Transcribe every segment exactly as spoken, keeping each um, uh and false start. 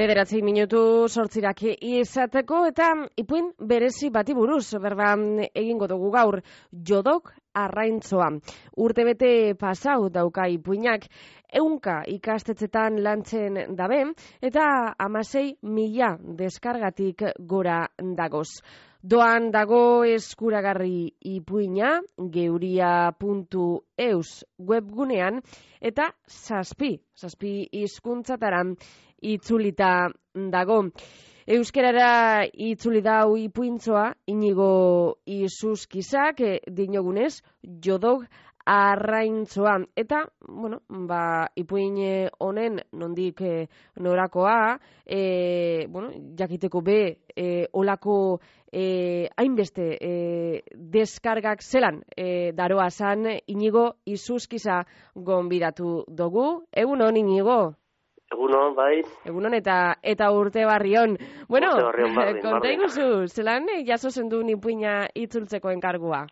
Bederatzi minutu sortzirak izateko eta ipuin berezi bati buruz berba egingo dugu gaur, Jodok Arraintzoa. Urtebete pasau dauka ipuinak, ehunka ikastetzetan lantzen dabe eta hamasei mila deskargatik gora dagoz. Doan dago eskuragarri ipuina geuria puntu eus webgunean eta zazpi, zazpi hizkuntzataran itzulita dago. Euskerara itzuli dau ipuintzoa Inigo Isuskizak e, dinogunez Jodok Arraintzoa. Eta, bueno, ba, ipuin honen nondik e, norakoa, e, bueno, jakiteko be e, olako e, hainbeste e, deskargak zelan e, daroa zan Inigo Isuskiza gonbidatu dugu. Egunon, Inigo? Egunon, bai. Egunon eta eta urte barrion. Bueno, konta iguzu, zelan jaso zendu ipuina itzultzeko enkargua?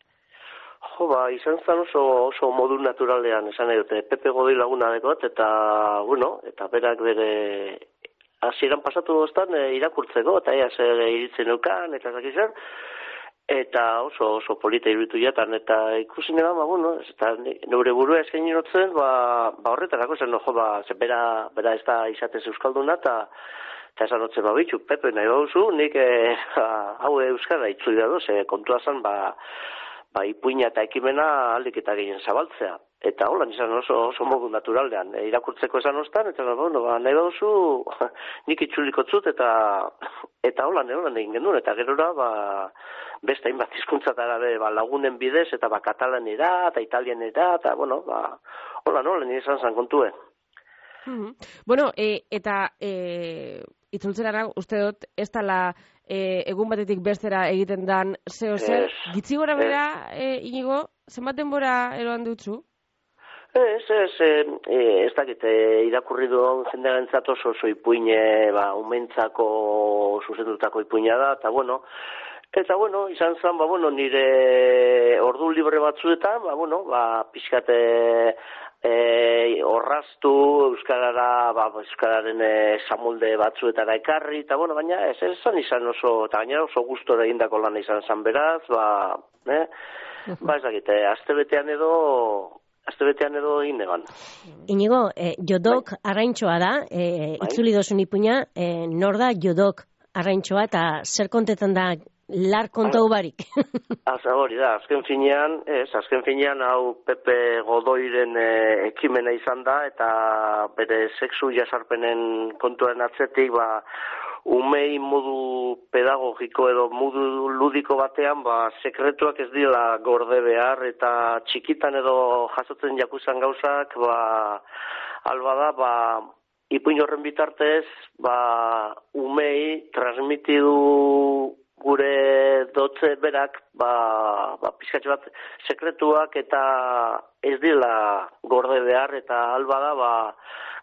Jo, ba, izan zen oso, oso modu naturalean, esan nahi dute, Pepe Godoi laguna dekot, eta, bueno, eta berak bere hasieran pasatu doztan e, irakurtzeko, eta ea zer iritzen eukan, eta zakizan, eta oso, oso polita iruditu jatan, eta ikusi nena, ba, bueno, eta neure burua eskain inotzen, ba, ba horretarako zen, no, jo, ba, ze bera, bera ez da izatez euskalduna, eta eta esan otzen, ba, bitxu, Pepe, nahi bauzu, nik e, hau euskara itzuli da doz, e, kontua zen, ba, ba, ipuina eta ekimena aldik eta gehien zabaltzea. Eta hola, nizan oso, oso modu naturaldean, e, irakurtzeko esan ostan, eta bueno, ba, nahi bauzu, nik itzuliko zut, eta eta hola, hola egin genuen, eta gerora, ba, beste hainbat hizkuntzatara be, ba, lagunen bidez, eta ba, katalanera, eta italianera, eta bueno, ba, hola, hola, nire izan zan kontue. Mm-hmm. Bueno, e, eta e, itzultzerara uste dut, ez dala e, egun batetik bestera egiten dan zeo zer, es, gitzi gora bera, e, Inigo, zenbat denbora eroan dutzu? Ez, ez, e, ez dakit, e, irakurri duen jendearen oso oso ipuine, ba, umentzako zuzendutako ipuina da, eta bueno, eta bueno, izan zen, ba, bueno, nire ordu libre batzuetan, ba, bueno, ba, pixkate e, orraztu, euskarara, ba, euskararen e, samolde batzuetara ekarri, eta bueno, baina ez, ez zan izan oso, eta gainera oso gustora egindako lan izan zen beraz, ba, eh? Ba, ez dakit, astebetean edo, astebetean edo egin egan. Inigo, eh, Jodok Arraintzoa da, eh, itzuli dozun ipuina, eh, nor da Jodok Arraintzoa eta zer kontetan da lar kontau barik? Aza hori da, azken finean, ez, azken finean hau Pepe Godoiren e, ekimena izan da, eta bere sexu jasarpenen kontuaren atzetik, ba, umei modu pedagogiko edo modu ludiko batean, ba, sekretuak ez dira gorde behar, eta txikitan edo jasotzen jakuzan gauzak, ba, alba da, ba, ipuin horren bitartez, ba, umei transmitidu gure dotze berak, ba, ba, pizkatxe bat sekretuak eta ez dila gorde behar, eta alba da, ba,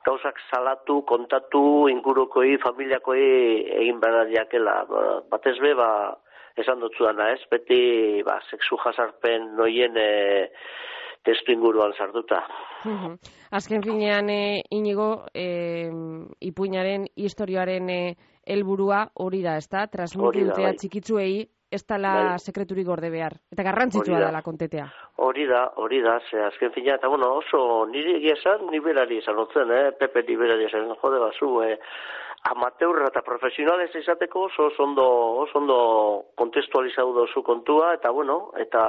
gauzak salatu, kontatu, ingurukoi, familiakoi egin behar jakela. Ba, batez be, ba, esan dutzu dana, ez? Beti, ba, sexu jasarpen noien e, testu inguruan sartuta. Uh-huh. Azken finean, e, Inigo, e, ipuinaren, historioaren e, helburua hori da, ezta? Transmitidutea bai. Txikitzuei ez dala bai. Sekreturik gorde behar. Eta garrantzitsua dela kontetea. Hori da, hori da, ze azken fina, eta bueno, oso niri egia esan, niberari esan otzen, eh? Pepe niberari esan, jode bazu, eh? Amateurra eta profesionales izateko oso ondo, oso ondo kontestualizatu dozu kontua, eta bueno, eta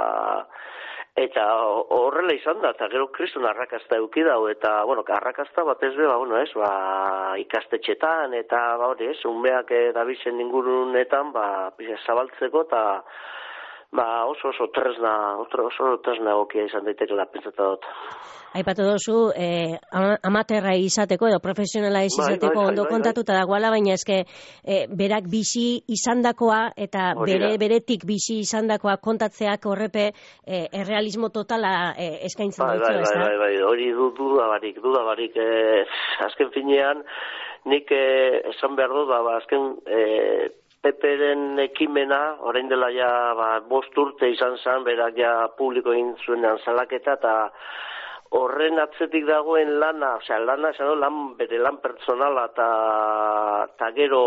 eta horrela izan da, eta gero kriston arrakazta eduki dau, eta, bueno, arrakazta batez be, ba, bueno, ez, ba, ikastetxetan, eta, ba, hori, ez, unbeak dabizen ingurunetan, ba, zabaltzeko, eta, ba, oso oso tresna, oso oso tresna egokia izan daitekela pentsatu dut. Aipatu dozu, eh, amaterra izateko edo profesionala izateko bai, bai, ondo bai, bai, kontatuta dagoela, baina eske eh, berak bizi izandakoa eta bere beretik bizi izandakoa kontatzeak horrepe eh, errealismo totala eh, eskaintzen bai, dutzu, bai, ezta? Bai, bai, bai, hori duda barik, duda barik, eh, azken finean, nik eh, esan behar dut, ba, azken eh, Peperen ekimena, orain dela ja ba, bost urte izan zen, berak ja publiko egin zuenean salaketa, eta horren atzetik dagoen lana, osea, lana, esan lan, bere lan pertsonala, eta gero,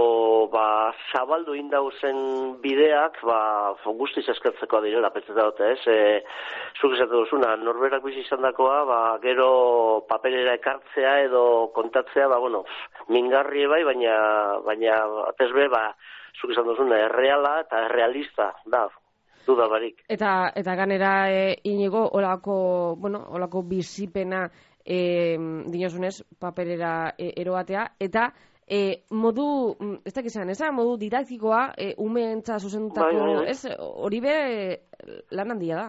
ba, zabaldu indauzen bideak, ba, guztiz eskertzeko direla, petzeta dute, ez? E, zuk esatu duzuna, norberak bizi izan dakoa, ba, gero paperera ekartzea edo kontatzea, ba, bueno, mingarri bai, baina, baina, atezbe, ba, zuk esan duzuna, erreala eta errealista, da, duda barik. Eta, eta ganera, e, inigo, olako, bueno, olako bizipena e, dinosunez, paperera e, eroatea, eta e, modu, ez dakizan, ez modu didaktikoa, e, umeentza zuzendutako, bai, bai, bai. Ez, hori be lan handia da.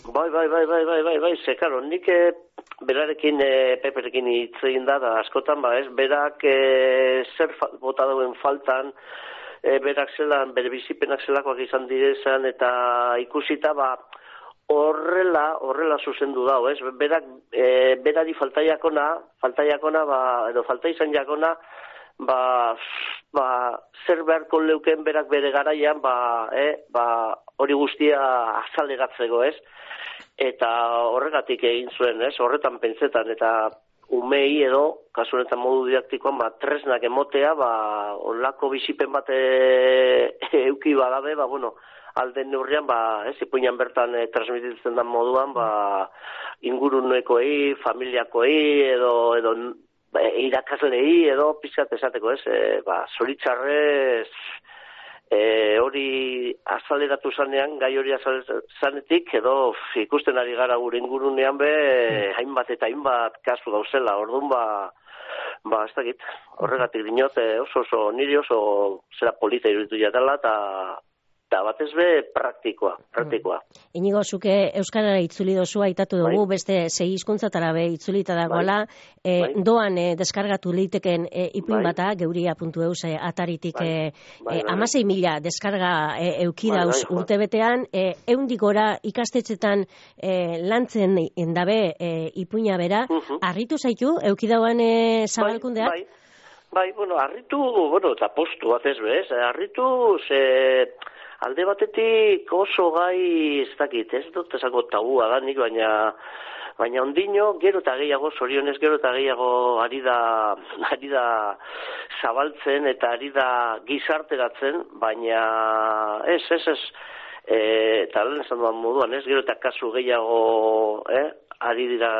Bai, bai, bai, bai, bai, bai, bai, ze, karo, nik e, berarekin, e, peperekin hitz egin da, da askotan, ba, ez, berak e, zer fa, bota dauen faltan, E, berak zelan, bere bizipenak zelakoak izan direzan, eta ikusita, ba, horrela, horrela zuzendu dau, ez? Berak, e, berari faltaiakona, faltaiakona, ba, edo falta izan jakona, ba, ba, zer beharko leuken berak bere garaian, ba, eh, ba, hori guztia azaleratzeko, ez? Eta horregatik egin zuen, ez? Horretan pentsetan, eta umei edo, kasu honetan modu didaktikoan, ba, tresnak emotea, ba, onlako bizipen bate euki badabe, ba, bueno, alden neurrian, ba, ez, ipuinan bertan e, transmititzen den moduan, ba, ingurunekoei, familiakoei, edo, edo e, irakaslei, edo pizkat esateko, ez, e, ba, zoritxarrez, E, hori azaleratu zanean, gai hori azaletik, edo ikusten ari gara gure ingurunean be, hainbat eta hainbat kasu dauzela, orduan ba, ba, ez dakit, horregatik dinot, oso oso niri oso zera polita iruditu jatela, eta eta batez be praktikoa, praktikoa. Inigo, zuke Euskarara itzuli dozu, aitatu dugu, bai. Beste sei hizkuntzatara be itzulita dagoela, bai. E, bai. Doan e, deskargatu liteken e, ipuin bai. Bata, geuria puntu eus e, ataritik bai. e, bai, bai. amasei mila deskarga e, eukidauz bai, bai, urtebetean, e, eundik gora ikastetxetan e, lantzen endabe e, ipuina bera, uh-huh. Arritu zaitu, eukidauan e, zabalkundeak? Bai, bai, bai, bueno, arritu, bueno, eta postu batez bez, arritu, ze... Alde batetik oso gai, ez dakit, ez dut esako tabua da nik, baina baina ondino, gero eta gehiago, zorionez gero eta gehiago ari da, ari da zabaltzen eta ari da gizarteratzen, baina ez, ez, ez, e, eta lehen esan duan moduan, ez, gero eta kasu gehiago, eh, ari dira,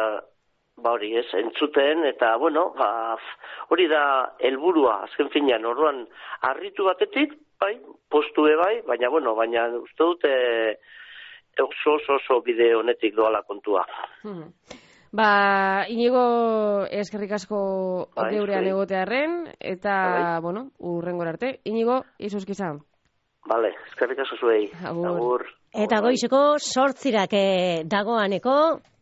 ba hori, ez, entzuten, eta, bueno, ba, hori da helburua azken finean, orduan, harritu batetik, bai, postu bai, baina, bueno, baina uste dute oso oso oso bide honetik doala kontua. Hmm. Ba, Inigo, eskerrik asko bai, geurean egotearren, eta, bai. Bueno, urrengor arte. Inigo, izuzkiza. Vale, eskerrik asko zuei. Agur. Agur. Eta goizeko sortzirak dagoaneko,